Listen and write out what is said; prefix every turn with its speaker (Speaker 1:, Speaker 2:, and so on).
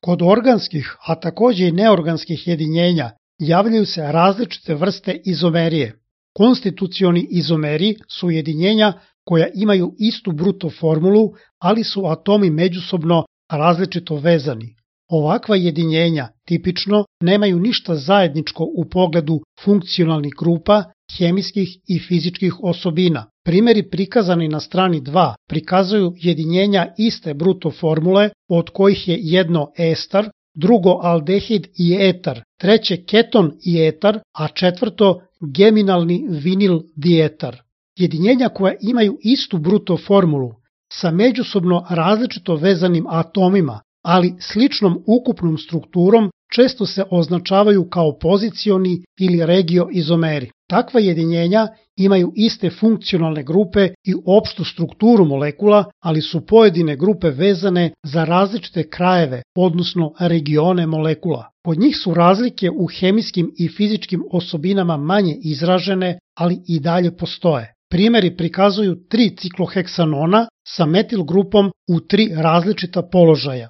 Speaker 1: Kod organskih, a takođe i neorganskih jedinjenja javljaju se različite vrste izomerije. Konstitucioni izomeri su jedinjenja koja imaju istu bruto formulu, ali su atomi međusobno različito vezani. Ovakva jedinjenja tipično nemaju ništa zajedničko u pogledu funkcionalnih grupa, hemijskih i fizičkih osobina. Primeri prikazani na strani 2 prikazuju jedinjenja iste bruto formule, od kojih je jedno ester, drugo aldehid i etar, treće keton i etar, a četvrto geminalni vinil dietar. Jedinjenja koja imaju istu bruto formulu sa međusobno različito vezanim atomima, ali sličnom ukupnom strukturom, često se označavaju kao pozicioni ili regioizomeri. Takva jedinjenja imaju iste funkcionalne grupe i opštu strukturu molekula, ali su pojedine grupe vezane za različite krajeve, odnosno regione molekula. Kod njih su razlike u hemijskim i fizičkim osobinama manje izražene, ali i dalje postoje. Primeri prikazuju 3 cikloheksanona sa metil grupom u 3 različita položaja.